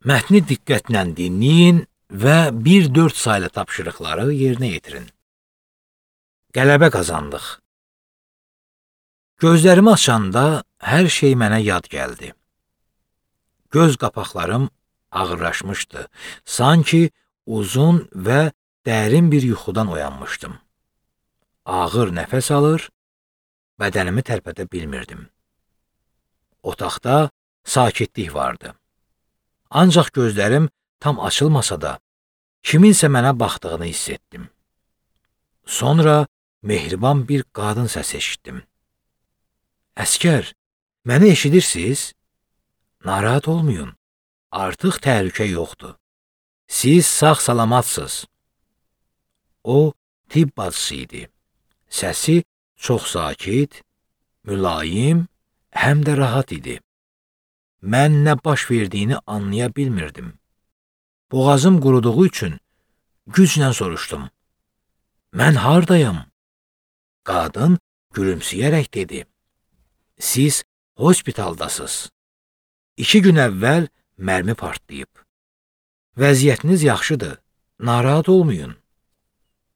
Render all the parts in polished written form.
Mətni diqqətlə dinləyin və 1-4 saylı tapşırıqları yerinə yetirin. Qələbə qazandıq. Gözlərimi açanda hər şey mənə yad gəldi. Göz qapaqlarım ağırlaşmışdı. Sanki uzun və dərin bir yuxudan oyanmışdım. Ağır nəfəs alır, bədənimi tərpədə bilmirdim. Otaqda sakitlik vardı. Ancaq gözlərim tam açılmasa da, kiminsə mənə baxdığını hiss etdim. Sonra mehriban bir qadın səsi eşitdim. Əskər, məni eşidirsiniz? Narahat olmayın, artıq təhlükə yoxdur. Siz sağ-salamatsınız. O, tibb bacısı idi. Səsi çox sakit, mülayim, həm də rahat idi. Mən nə baş verdiyini anlaya bilmirdim. Boğazım quruduğu üçün güclə soruşdum. Mən hardayım? Qadın gülümsəyərək dedi. Siz hospitaldasınız. 2 gün əvvəl mərmi partlayıb. Vəziyyətiniz yaxşıdır, narahat olmayın.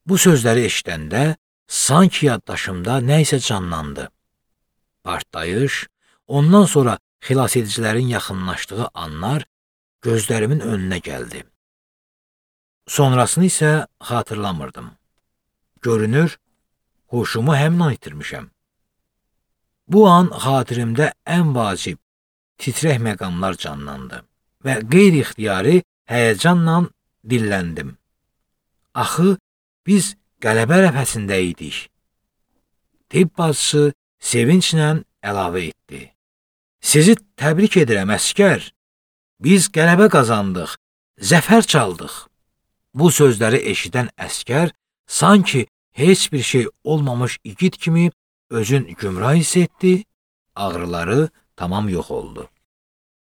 Bu sözləri eşidəndə sanki yaddaşımda nə isə canlandı. Partlayış, ondan sonra xilasedicilərin yaxınlaşdığı anlar gözlərimin önünə gəldi. Sonrasını isə xatırlamırdım. Görünür, huşumu həmin an itirmişəm. Bu an xatirimdə ən vacib, titrək məqamlar canlandı və qeyri-ixtiyari həyəcanla dilləndim. Axı, biz qələbə ərəfəsində idik. Tibb bacısı sevinclə əlavə etdi. Sizi təbrik edirəm, əskər. Biz qələbə qazandıq, zəfər çaldıq. Bu sözləri eşidən əskər sanki heç bir şey olmamış igid kimi özün gümrah hiss etdi, ağrıları tamam yox oldu.